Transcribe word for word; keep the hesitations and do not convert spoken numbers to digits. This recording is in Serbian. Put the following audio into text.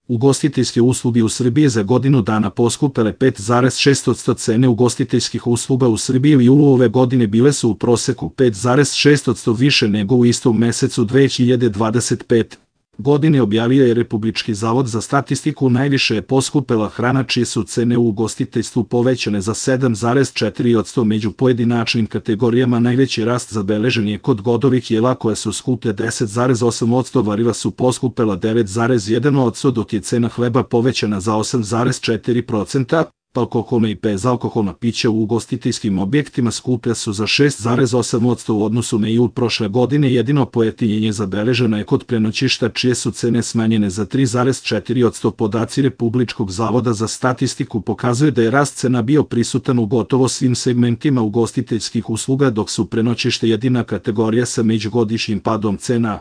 Ugostiteljske usluge u Srbiji za godinu dana poskupele pet zarez šest posto. Cene ugostiteljskih usluga u Srbiji u julu ove godine bile su u proseku pet zarez šest posto više nego u istom mesecu dve hiljade dvadeset pete. godine objavio je Republički zavod za statistiku. Najviše je poskupela hrana, čije su cene u ugostiteljstvu povećane za sedam zarez četiri posto. Među pojedinačnim kategorijama najveći rast zabeležen je kod godovih jela koje su skuplje deset zarez osam posto, varila su poskupela devet zarez jedan posto, dok je cena hleba povećana za osam zarez četiri posto. Alkoholna i bezalkoholna pića u ugostiteljskim objektima skuplja su za šest zarez osam posto u odnosu na jul prošle godine. Jedino pojeftinjenje zabeleženo je kod prenoćišta, čije su cene smanjene za tri zarez četiri posto. Podaci Republičkog zavoda za statistiku pokazuju da je rast cena bio prisutan u gotovo svim segmentima ugostiteljskih usluga, dok su prenoćište jedina kategorija sa međugodišnjim padom cena.